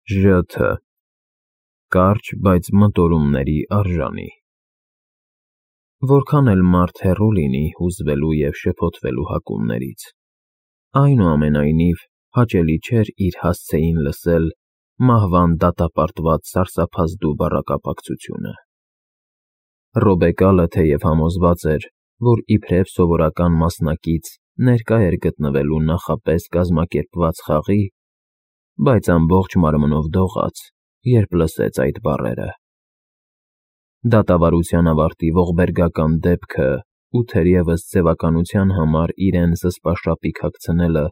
ԺԹ Կարճ, բայց մտորումների արժանի։ Որքան էլ մարդ հեռու լինի հուզվելու և շփոթվելու հակումներից, այնուամենայնիվ հաճելի չէր իր հասցեին լսել մահվան դատապարտված սարսափազդու բառակապակցությունը։ Ռոբեկալը թեև համոզված էր, որ իբրև սովորական մասնակից ներկա էր գտնվելու նախապես կազմակերպված խաղի, բայց ամբողջ մարմնով դողաց, երբ լսեց այդ բառերը։ Դատավարության ավարտի ողբերգական դեպքը ու թերևս ձևականության համար իրեն զսպաշապիկ հագցնելը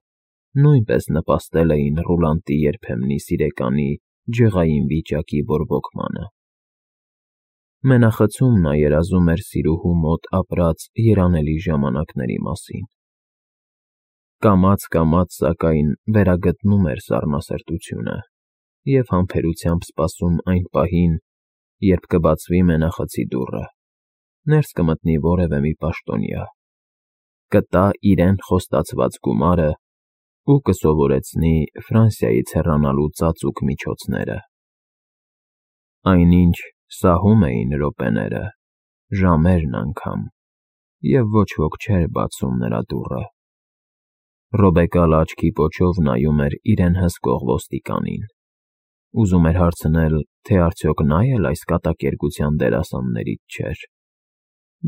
նույնպես նպաստել էին Ռուլանտի երբեմնի սիրեկանի ջղային վիճակի բորբոքմանը։ Մենախցում նա երազում էր սիրուհու մոտ ապրած երանելի ժամանակների մասին։ Կամաց, սակայն վերագտնում էր սառնասրտությունը և համբերությամբ սպասում այն պահին, երբ կբացվի մենախցի դուռը, ներս կմտնի որևէ մի պաշտոնյա, կտա իրեն խոստացված գումարը ու կսովորեցնի Ֆրանսիայից հեռանալու ծածուկ միջոցները։ Այնինչ սահում էին րոպեները, ժամերն անգամ, և ոչ ոք չէր բացում նրա դուռը։ Ռոբեկալը աչքի պոչով նայում էր իրեն հսկող ոստիկանին, ուզում էր հարցնել, թե արդյոք նա էլ այս կատակերգության դերասաններից չէր,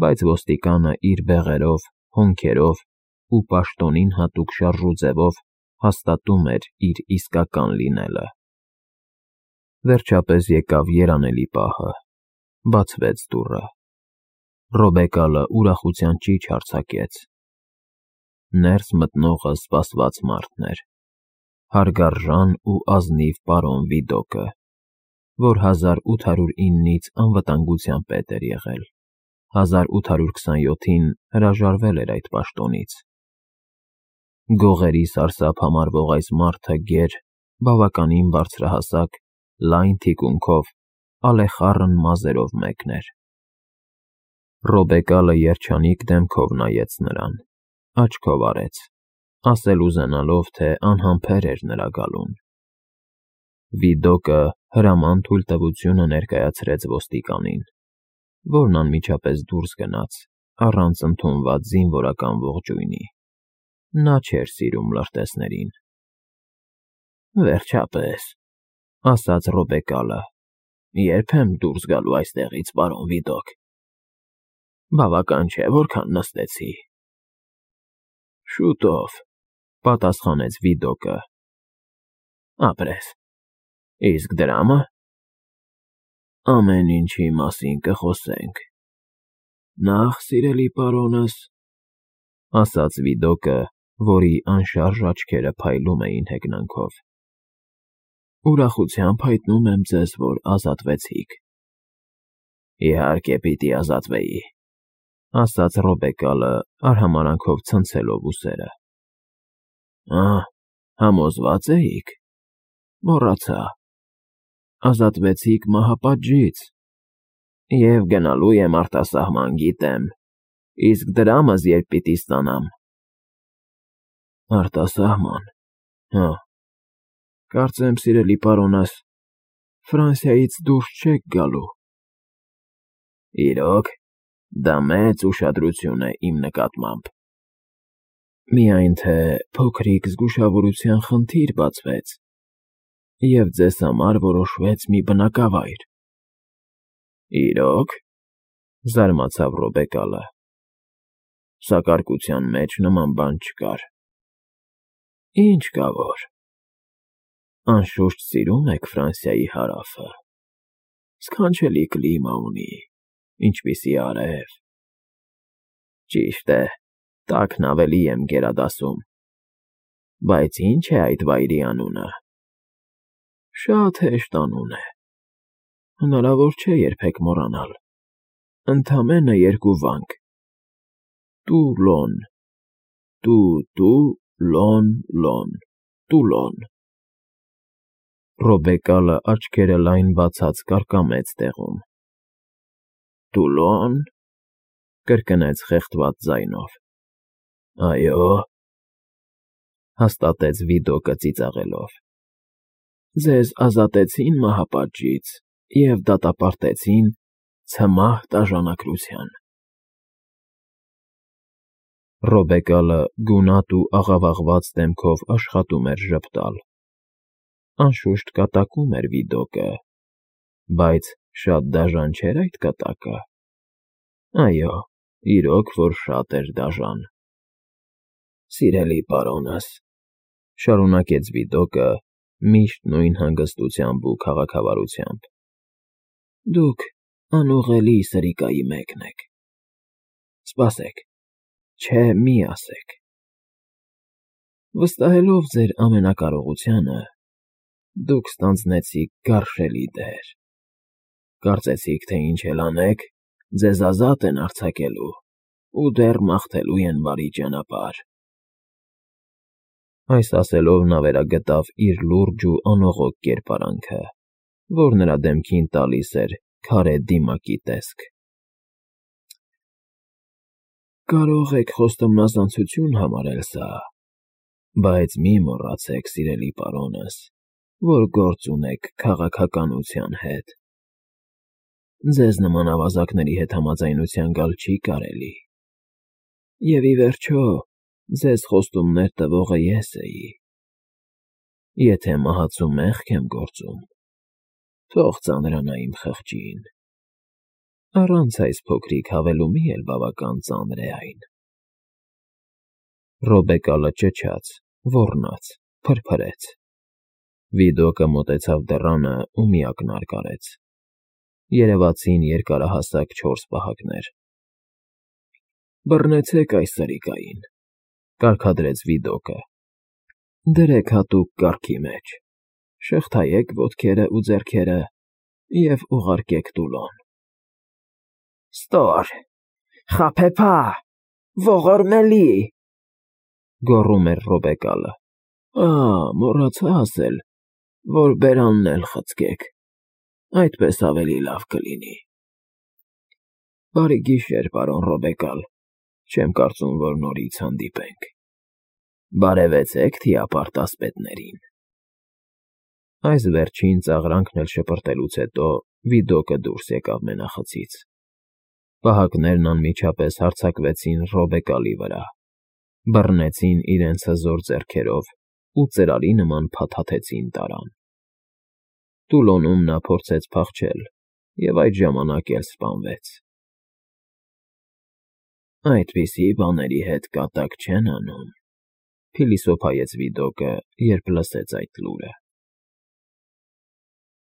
բայց ոստիկանը իր բեղերով, հոնքերով ու պաշտոնին հատուկ շարժուձևով հաստատում էր իր իսկական լինելը։ Վերջապես եկավ երանելի պահը, բացվեց դուռը։ Ռոբեկալը ուրախության ճիչ արձակեց։ Ներս մտնողը սպասված մարդն էր, հարգարժան ու ազնիվ պարոն Վիդոկը, որ 1809-ից անվտանգության պետ էր եղել, 1827-ին հրաժարվել էր այդ պաշտոնից։ Գողերի սարսափ համարվող այս մարդը գեր, բավականին բարձրահասակ, լայն թիկունքով, ալեխառն մազերով մեկն էր։ Ռոբեկալը երջանիկ դեմքով նայեց նրան, աչքով արեց, ասել ուզենալով, թե անհամբեր էր նրա գալուն։ Վիդոկը հրաման թույլտվությունը ներկայացրեց ոստիկանին, որն անմիջապես դուրս գնաց, առանց ընդունված զինվորական ողջույնի։ Նա չէր սիրում լրտեսներին։ Վերջապես, ասաց Ռոբեկալը, երբ եմ դուրս գալու այստեղից, պարոն Վիդոկ։ Բավական չէ, որքան նստեցի։ Շուտով, պատասխանեց Վիդոկը։ Ապրես, իսկ դրամը։ Ամեն ինչի մասին կխոսենք։ Նախ, սիրելի պարոնս, ասաց Վիդոկը, որի անշարժ աչքերը փայլում էին հեգնանքով, ուրախությամբ հայտնում եմ ձեզ, որ ազատվեցիք։ Իհարկե պիտի ազատվեի, ասաց Ռոբեկալը, արհամարհանքով ցնցելով ուսերը։ Համոզվա՞ծ էիք։ Մոռացա։ Ազատվեցիք մահապատժից։ Եվ գնալու եմ արտասահման, գիտեմ, իսկ դրամս երբ պիտի ստանամ։ Արտասահման, կարծեմ, սիրելի պարոնս, Ֆրանսիայից դուրս չեք գալու։ Իրոք, դա մեծ ուշադրություն է իմ նկատմամբ։ Միայն թե փոքրիկ զգուշավորության խնդիր բացվեց, և ձեզ համար որոշվեց մի բնակավայր։ Իրոք, զարմացավ Ռոբեկալը, սակարկության մեջ նման բան չկար։ Ինչ կա որ։ Անշուշտ սիրում եք Ֆրանսիայի հարավը, սքանչելի կլիմա ունի, ինչպիսի արև։ Ճիշտ է, տաքն ավելի եմ գերադասում, բայց ի՞նչ է այդ վայրի անունը։ Շատ հեշտ անուն է, հնարավոր չէ երբեք մոռանալ, ընդամենը երկու վանք. Տուլոն, լոն, Տուլոն։ Ռոբեկալը աչքերը լայն բացած կարկամեց տեղում։ Տուլոն, կրկնեց խեղդված ձայնով։ Այո, հաստատեց Վիդոկը ծիծաղելով։ Ձեզ ազատեցին մահապատժից և դատապարտեցին ցմահ տաժանակրության։ Ռոբեկալը գունատ ու աղավաղված դեմքով աշխատում էր ժպտալ։ Անշուշտ կատակում էր Վիդոկը, բայց շատ դաժան չէր այդ կատակը։ Այո, իրոք որ շատ էր դաժան։ Սիրելի պարոնս,֊ շարունակեց Վիդոկը միշտ նույն հանգստությամբ ու քաղաքավարությամբ,֊ դուք անուղղելի սրիկայի մեկն եք։ Սպասեք, չէ, մի ասեք։ Վստահելով ձեր ամենակարողությանը, դուք ստանձնեցիք գարշելի դեր։ Կարծեցիք, թե ինչ էլ անեք, ձեզ ազատ են արձակելու ու դեռ մաղթելու են բարի ճանապարհ։ Այս ասելով նա վերագտավ իր լուրջ ու անողոք կերպարանքը, որ նրա դեմքին տալիս էր քարե դիմակի տեսք։ Կարող եք խոստումնազանցություն համարել սա, բայց մի մոռացեք, սիրելի պարոնս, որ գործ ունեք քաղաքականության հետ։ Ձեզ նման ավազակների հետ համաձայնության գալ չի կարելի։ Եվ ի վերջո, ձեզ խոստումներ տվողը ես էի։ Եթե մահացու մեղք եմ գործում, թող ծանրանա իմ խղճին։ Առանց այս փոքրիկ հավելումի էլ բավական ծանր է այն։ Ռոբեկալը ճչաց, ոռնաց, փրփրեց։ Վիդոկը մոտեցավ դռանը ու միակնար կարեց։ Երևացին երկարահասակ 4 պահակներ։ Բռնեցեք այս սրիկային, կարգադրեց Վիդոկը։ Դրեք հատուկ կառքի մեջ, շղթայեք ոտքերը ու ձեռքերը և ուղարկեք Տուլոն։ Ստոր, խաբեբա, ողորմելի,֊ գոռում էր Ռոբեկալը։ Մոռացա ասել, որ բերանն էլ խցկեք, այդպես ավելի լավ կլինի։ Բարի գիշեր, պարոն Ռոբեկալ, չեմ կարծում, որ նորից հանդիպենք։ Բարևեցեք թիապարտ ասպետներին։ Այս վերջին ծաղրանքն էլ շպրտելուց հետո Վիդոկը դուրս եկավ մենախցից։ Պահակներն անմիջապես հարձակվեցին Ռոբեկալի վրա, բռնեցին իրենց հզոր ձեռքերով ու ծրարի նման փաթաթեցին տարան։ Տուլոնում նա փորձեց փախչել և այդ ժամանակ էլ սպանվեց։ Այդպիսի բաների հետ կատակ չեն անում,֊ փիլիսոփայեց Վիդոկը, երբ լսեց այդ լուրը։